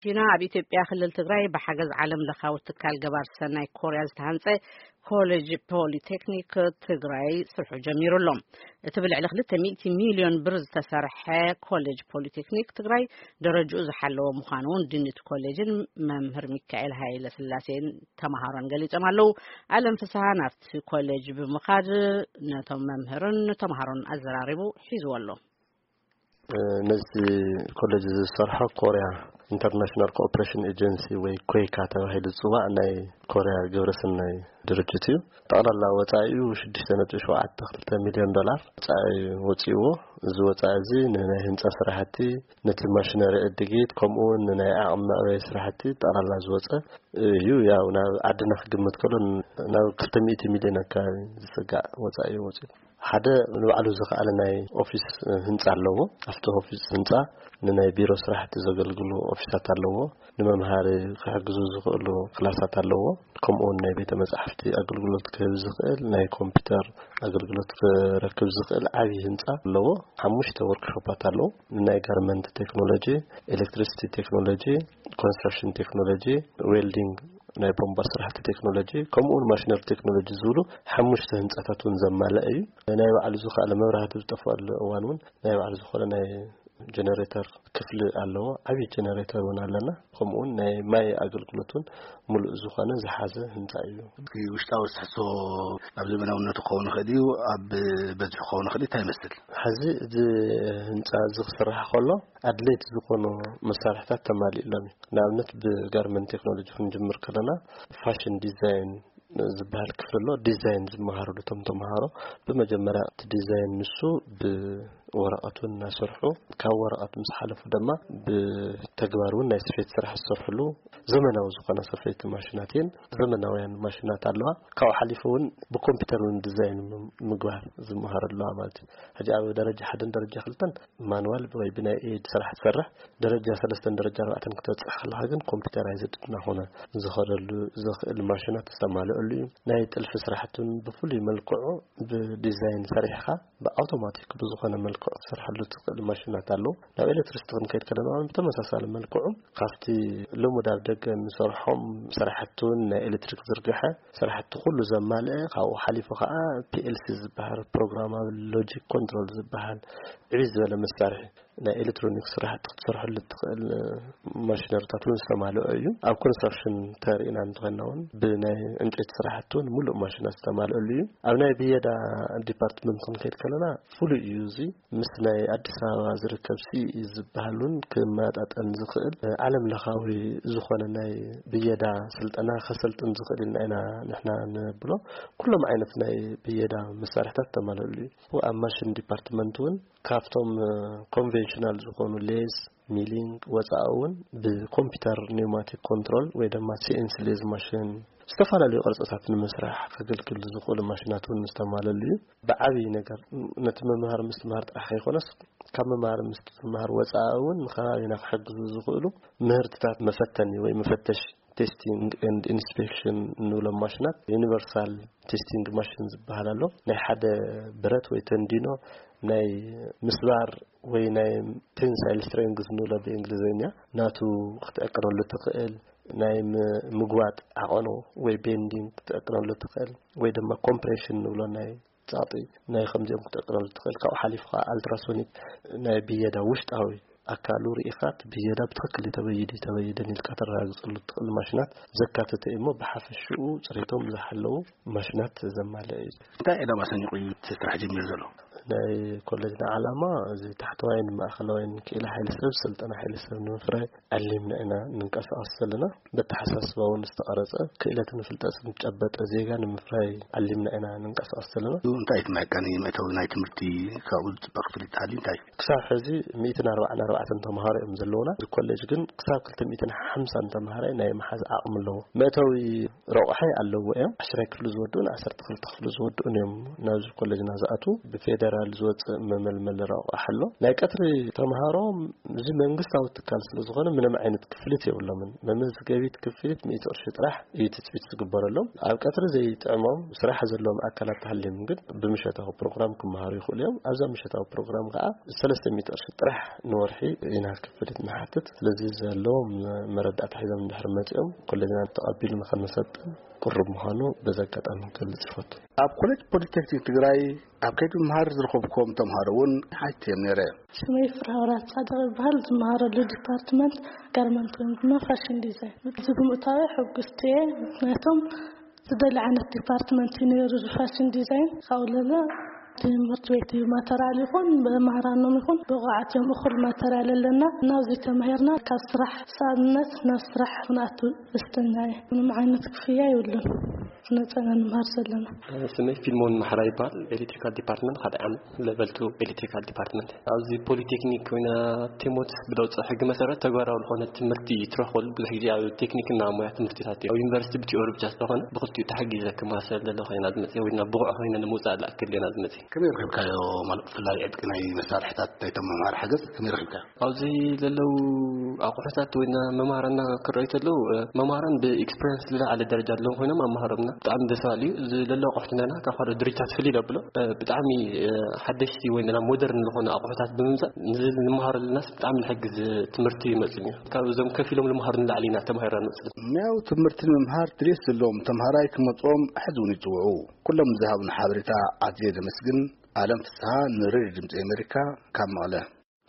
ቺና ኣብ ኢትዮጵያ ክልል ትግራይ ብሓገዝ ዓለም ለኻዊ ትካል ገባር ሰናይ ኮርያ ዝተሃንጸ ኮሌጅ ፖሊቴክኒክ ትግራይ ስርሑ ጀሚሩ ኣሎ። እቲ ብልዕሊ ክልተ ሚእቲ ሚልዮን ብር ዝተሰርሐ ኮሌጅ ፖሊቴክኒክ ትግራይ ደረጃኡ ዝሓለወ ምዃኑ እውን ዲን እቲ ኮሌጅን መምህር ሚካኤል ሃይለ ስላሴን ተምሃሮን ገሊጾም ኣለዉ። ኣለም ፍስሃ ናብቲ ኮሌጅ ብምኻድ ነቶም መምህርን ተምሃሮን ኣዘራሪቡ ሒዝዎ ኣሎ። ነዚ ኮሌጅ ዝሰርሖ ኮርያ ኢንተርናሽናል ኮኦፕሬሽን ኤጀንሲ ወይ ኮይካ ተባሂሉ ዝፅዋዕ ናይ ኮርያ ግብረሰናይ ድርጅት እዩ። ጠቕላላ ወፃኢኡ ሽዱሽተ ነጥቢ ሸውዓተ ክልተ ሚልዮን ዶላር ወፃኢ ወፂእዎ። እዚ ወፃኢ እዚ ንናይ ህንፃ ስራሕቲ፣ ነቲ ማሽነሪ ዕድጊት፣ ከምኡ እውን ንናይ ዓቕሚ መዕበይ ስራሕቲ ጠቕላላ ዝወፀ እዩ። ያው ናብ ዓድና ክግምት ከሎ ናብ ክልተ ሚእቲ ሚልዮን ኣካባቢ ዝፅጋዕ ወፃኢ እዩ ወፂኡ። ሓደ ንባዕሉ ዝኸኣለ ናይ ኦፊስ ህንፃ ኣለዎ። ኣብቲ ኦፊስ ህንፃ ንናይ ቢሮ ስራሕቲ ዘገልግሉ ኦፊሳት ኣለዎ። ንመምሃሪ ክሕግዙ ዝኽእሉ ክላሳት ኣለዎ። ከምኡ እውን ናይ ቤተ መጻሕፍቲ ኣገልግሎት ክህብ ዝኽእል፣ ናይ ኮምፒውተር ኣገልግሎት ክረክብ ዝኽእል ዓብዪ ህንፃ ኣለዎ። ሓሙሽተ ወርክሾፓት ኣለዎ። ንናይ ጋርመንት ቴክኖሎጂ፣ ኤሌክትሪሲቲ ቴክኖሎጂ፣ ኮንስትራክሽን ቴክኖሎጂ፣ ዌልዲንግ፣ ናይ ቦምባ ስራሕቲ ቴክኖሎጂ፣ ከምኡ እውን ማሽነሪ ቴክኖሎጂ ዝብሉ ሓሙሽተ ህንፃታት እውን ዘማልአ እዩ። ናይ ባዕሉ ዝኸኣለ መብራህቲ ዝጠፍኣሉ እዋን እውን ናይ ባዕሉ ዝኾነ ናይ ጀነሬተር ክፍሊ ኣለዎ። ዓብዪ ጀነሬተር እውን ኣለና። ከምኡ እውን ናይ ማይ ኣገልግሎት እውን ሙሉእ ዝኾነ ዝሓዘ ህንፃ እዩ። እቲ ውሽጣዊ ትሕዝቶ ኣብ ዘመናውነቱ ክኸውን ይኽእል እዩ፣ ኣብ በዝሑ ክኸውን ይኽእል እዩ፣ እንታይ ይመስል? ሕዚ እዚ ህንፃ እዚ ክስራሕ ከሎ ኣድለይቲ ዝኾኑ መሳርሕታት ተማሊእሎም እዩ። ንኣብነት ብጋርመንት ቴክኖሎጂ ክንጅምር ከለና ፋሽን ዲዛይን ዝበሃል ክፍሊ ኣሎ። ዲዛይን ዝመሃርሉ እቶም ተምሃሮ ብመጀመርያ እቲ ዲዛይን ንሱ ብወረቐቱ እናሰርሑ ካብ ወረቐት ምስ ሓለፉ ድማ ብተግባር እውን ናይ ስፌት ስራሕ ዝሰርሕሉ ዘመናዊ ዝኾነ ሰፈይቲ ማሽናት እየን። ዘመናውያን ማሽናት ኣለዋ። ካብኡ ሓሊፉ እውን ብኮምፒውተር እውን ዲዛይን ም- ምግባር ዝመሃር ኣለዋ ማለት እዩ። ሕጂ ኣብ ደረጃ ሓደን ደረጃ ክልተን ማንዋል ወይ ብናይ ኤድ ስራሕ ትሰርሕ፣ ደረጃ ሰለስተን ደረጃ ኣርባዕተን ክተብፅሕ ከለካ ግን ኮምፒውተራይዝድ እናኾነ ዝኸደሉ ዝኽእል ማሽናት ዝተማልአሉ እዩ። ናይ ጥልፊ ስራሕቲ እውን ብፍሉይ መልክዑ ብዲዛይን ሰሪሕካ ብኣውቶማቲክ ብዝኾነ መልክዑ ክሰርሐሉ ትኽእል ማሽናት ኣለዉ። ናብ ኤሌክትሪሲቲ ክንከይድ ከለና እውን ብተመሳሳሊ መልክዑ ካብቲ ልሙድ ኣብ ደገ እንሰርሖም ስራሕቲ እውን ናይ ኤሌክትሪክ ዝርግሐ ስራሕቲ ኩሉ ዘማልአ፣ ካብኡ ሓሊፉ ከዓ ፒኤልሲ ዝበሃል ፕሮግራማብል ሎጂክ ኮንትሮል ዝበሃል ዕብይ ዝበለ መሳርሒ ናይ ኤሌክትሮኒክስ ስራሕቲ ክትሰርሐሉ እትኽእል ማሽነሪታት እውን ዝተማልኦ እዩ። ኣብ ኮንስትራክሽን ተሪእና እንተኾይንና እውን ብናይ ዕንጨይቲ ስራሕቲ እውን ሙሉእ ማሽናት ዝተማልአሉ እዩ። ኣብ ናይ ብየዳ ዲፓርትመንት ክንከይድ ከለና ፍሉይ እዩ። እዚ ምስ ናይ ኣዲስ ኣበባ ዝርከብ ሲኢ ዝበሃል እውን ክመጣጠን ዝኽእል ዓለም ለኻዊ ዝኾነ ናይ ብየዳ ስልጠና ከሰልጥን ዝኽእል ኢልና ኢና ንሕና ንብሎ። ኩሎም ዓይነት ናይ ብየዳ መሳርሕታት ዝተማልአሉ እዩ። ኣብ ማሽን ዲፓርትመንት እውን ካብቶም ኮንቬንሽናል ዝኾኑ ሌዝ፣ ሚሊንግ ወፃኢ እውን ብኮምፒውተር ኒውማቲክ ኮንትሮል ወይ ድማ ሲኤንሲ ሌዝ ማሽን ዝተፈላለዩ ቅርፅታት ንምስራሕ ከገልግል ዝኽእሉ ማሽናት እውን ዝተማለሉ እዩ። ብዓብዪ ነገር ነቲ መምሃር ምስትምሃር ጥራሕ ከይኮነስ ካብ መምሃር ምስትምሃር ወፃኢ እውን ንከባቢና ክሕግዙ ዝኽእሉ ምህርትታት መፈተኒ ወይ መፈተሽ ቴስቲንግ ኤንድ ኢንስፔክሽን እንብሎም ማሽናት ዩኒቨርሳል ቴስቲንግ ማሽን ዝበሃል ኣሎ። ናይ ሓደ ብረት ወይ ተንዲኖ ናይ ምስባር ወይ ናይ ቴንሳይል ስትሬንግዝ ንብሎ ብእንግሊዝኛ ናቱ ክትዕቅነሉ ትኽእል፣ ናይ ም- ምግዋጥ ዓቐኑ ወይ ቤንዲንግ ክትዕቅነሉ ትኽእል ወይ ድማ ኮምፕሬሽን ንብሎ ናይ ጻጢ ናይ ከምዚኦም ክትዕቅነሉ ትኽእል። ካብኡ ሓሊፉ ከዓ ኣልትራሶኒክ ናይ ብየዳ ውሽጣዊ ኣካሉ ርኢኻ እቲ ብየዳ ብትኽክል ተበይዱ ተበይደን ኢልካ ተረጋግፀሉ ትኽእል ማሽናት ዘካተተ እዩ እሞ ብሓፈሽኡ ፅሬቶም ዝሓለዉ ማሽናት ዘማልአ እዩ። እንታይ ዕላማ ሰኒቑ እዩ እቲ ስራሕ ጀሚሩ ዘሎ? ናይ ኮሌጅና ዓላማ እዚ ታሕተዋይን ማእኸላዋይን ክኢላ ሓይሊ ሰብ ስልጠና ሓይሊ ሰብ ንምፍራይ ዓሊምና ኢና ንንቀሳቐስ ዘለና። በተሓሳስባ እውን ዝተቐረፀ ክእለትን ፍልጠትን ዝጨበጠ ዜጋ ንምፍራይ ዓሊምና ኢና ንንቀሳቐስ ዘለና። እንታይ እቲ መዕቀኒ መእተዊ ናይ ትምህርቲ ካብኡ ዝፅበ ክፍል ይተሃልዩ እንታይ? ክሳብ ሕዚ ሚእትን ኣርባዓን ኣርባዕተን ተምሃሮ እዮም ዘለውና። እዚ ኮሌጅ ግን ክሳብ ክልተ ሚእትን ሓምሳን ተምሃራይ ናይ መሓዝ ዓቕሚ ኣለዎ። መእተዊ ረቑሐ ኣለዎ እዮም። ዓሽራይ ክፍሊ ዝወድኡን ዓሰርተ ክልተ ክፍሊ ዝወድኡን እዮም ናብዚ ኮሌጅና ዝኣትዉ። ብፌደ ፌደራል ዝወፅእ መመልመሊ ረቋሕ ኣሎ። ናይ ቀትሪ ተምሃሮ እዚ መንግስታዊ ትካል ስለ ዝኾነ ምንም ዓይነት ክፍሊት የብሎምን። መመዝገቢት ክፍሊት ሚእቲ ቅርሺ ጥራሕ እዩ ትፅቢት ዝግበረሎም። ኣብ ቀትሪ ዘይጥዕሞም ስራሕ ዘለዎም ኣካላት ተሃልዮም ግን ብምሸታዊ ፕሮግራም ክመሃሩ ይኽእሉ እዮም። ኣብዛ ምሸታዊ ፕሮግራም ከዓ ሰለስተ ሚእቲ ቅርሺ ጥራሕ ንወርሒ ኢና ክፍሊት ንሓትት። ስለዚ ዘለዎም መረዳእታ ሒዞም እንድሕር መፂኦም ኮሌጅና ተቐቢሉ ንኸነሰልጥን ቅሩብ ምዃኑ በዚ ኣጋጣሚ ክገልጽ ይፈቱ። ኣብ ኮሌጅ ፖሊቴክኒክ ትግራይ ኣብ ከይዲ ምምሃር ዝረኸብኩም ተምሃሮ እውን ሓቲተዮም ነይረ። ስመይ ፍርሃውራት ጻድቕ ይበሃል። ዝመሃረሉ ዲፓርትመንት ጋርመንት ወይ ድማ ፋሽን ዲዛይን። እዚ ብምእታዊ ሕጉስቲ እየ። ምክንያቱም ዝደሊ ዓይነት ዲፓርትመንት እዩ ነይሩ፣ እዚ ፋሽን ዲዛይን። ካብኡ ለለ ትምህርቲ ቤት እዩ ማተርያል ይኹን ብመሃራኖም ይኹን ብቑዓት እዮም። እኹል ማተርያል ኣለና። እናብዚ ተማሂርና ካብ ስራሕ ሰኣንነት ናብ ስራሕ ክንኣቱ ደስተኛ እየ። ምንም ዓይነት ክፍያ የብሉን። ነፃና ንምሃር ዘለና። ስመይ ፊልሞን ማሕራ ይበሃል። ኤሌክትሪካል ዲፓርትመንት ሓደ ዓመት፣ ሌቨል ቱ ኤሌክትሪካል ዲፓርትመንት። ኣብዚ ፖሊቴክኒክ ኮይና ቴሞትስ ብለውፀ ሕጊ መሰረት ተግባራዊ ዝኾነ ትምህርቲ ትረኽበሉ ብዙሕ ግዜ ኣብ ቴክኒክና ሞያ ትምህርትታት እዩ። ኣብ ዩኒቨርሲቲ ብቲዮሪ ብቻ ስለኾነ ብኽልቲኡ ተሓጊዘ ክመሃር ስለ ዘለኹ ኢና ዝመፅእ፣ ወይ ድማ ብቑዕ ኮይነ ንምውፃእ ዝኣክል ኢና ዝመፅእ። ከመይ ረኺብካዮ? ማለት ብፍላይ ዕጥቂ ናይ መሳርሕታት ናይቶም መምሃሪ ሓገዝ ከመይ ረኺብካዮ? ኣብዚ ዘለዉ ኣቑሑታት ወይ መማህራንና ክረኣዩ ተለዉ፣ መማህራን ብኤክስፐሪንስ ዝለዓለ ደረጃ ዘለዎም ኮይኖም ኣመሃሮምና ብጣዕሚ ደስ በሃሊ እዩ። እዚ ዘሎ ኣቑሑት እንተና ካብ ካልኦት ድርጅታት ፍልይ ዘብሎ ብጣዕሚ ሓደሽቲ ወይ ድማ ሞደርን ዝኾኑ ኣቑሑታት ብምምፃእ ንዚ ንመሃረሉናስ ብጣዕሚ ዝሕግዝ ትምህርቲ ይመፅእ እዩ። ካብ እዞም ከፊሎም ዝመሃሩ ንላዕሊ ኢና ተማሂርና ንመፅእ። ሙያዊ ትምህርቲ ንምምሃር ድሌት ዘለዎም ተምሃራይ ክመፅኦም ሕዚ እውን ይፅውዑ። ኩሎም ዝሃቡና ሓበሬታ ኣዝየ ዘመስግን። ኣለም ፍስሃ ንሬድዮ ድምፂ ኣሜሪካ ካብ መቐለ።